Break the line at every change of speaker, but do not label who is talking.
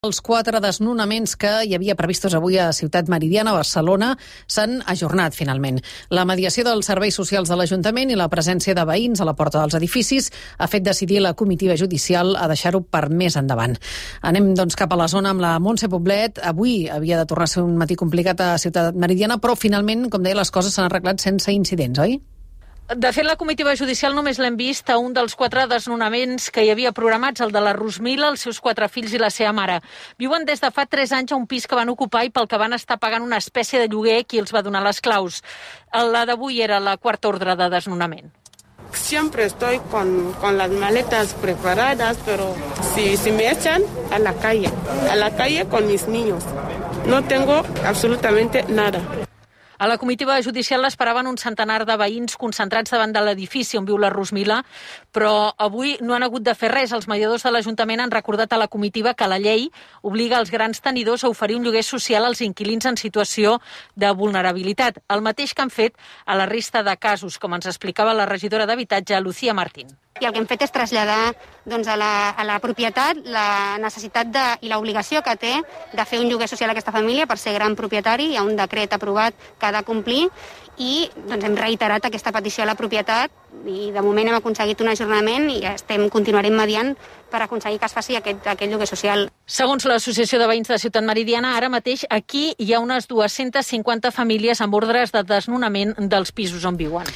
Els 4 desnonaments que hi havia previstos avui a Ciutat Meridiana, a Barcelona, s'han ajornat finalment. La mediació dels serveis socials de l'Ajuntament i la presència de veïns a la porta dels edificis ha fet decidir la comitiva judicial a deixar-ho per més endavant. Anem doncs cap a la zona amb la Montse Poblet. Avui havia de tornar a ser un matí complicat a Ciutat Meridiana, però finalment, com deia, les coses s'han arreglat sense incidents, oi?
De fet, la comitiva judicial només l'hem vist a un dels 4 desnonaments que hi havia programats, el de la Rosmila, els seus 4 fills i la seva mare. Viuen des de fa 3 anys a un pis que van ocupar i pel que van estar pagant una espècie de lloguer qui els va donar les claus. La d'avui era la 4ª ordre de desnonament.
Siempre estoy con las maletas preparadas, pero si me echan a la calle con mis niños. No tengo absolutamente nada.
A la comitiva judicial l'esperaven un centenar de veïns concentrats davant de l'edifici on viu la Rosmila, però avui no han hagut de fer res. Els mediadors de l'Ajuntament han recordat a la comitiva que la llei obliga els grans tenidors a oferir un lloguer social als inquilins en situació de vulnerabilitat, el mateix que han fet a la resta de casos, com ens explicava la regidora d'Habitatge, Lucía Martín.
I el que hem fet és traslladar a la propietat la necessitat i l'obligació que té de fer un lloguer social a aquesta família per ser gran propietari. Hi ha un decret aprovat que ha de complir i hem reiterat aquesta petició a la propietat i de moment hem aconseguit un ajornament i continuarem mediant per aconseguir que es faci aquest lloguer social.
Segons l'Associació de Veïns de Ciutat Meridiana, ara mateix aquí hi ha unes 250 famílies amb ordres de desnonament dels pisos on viuen.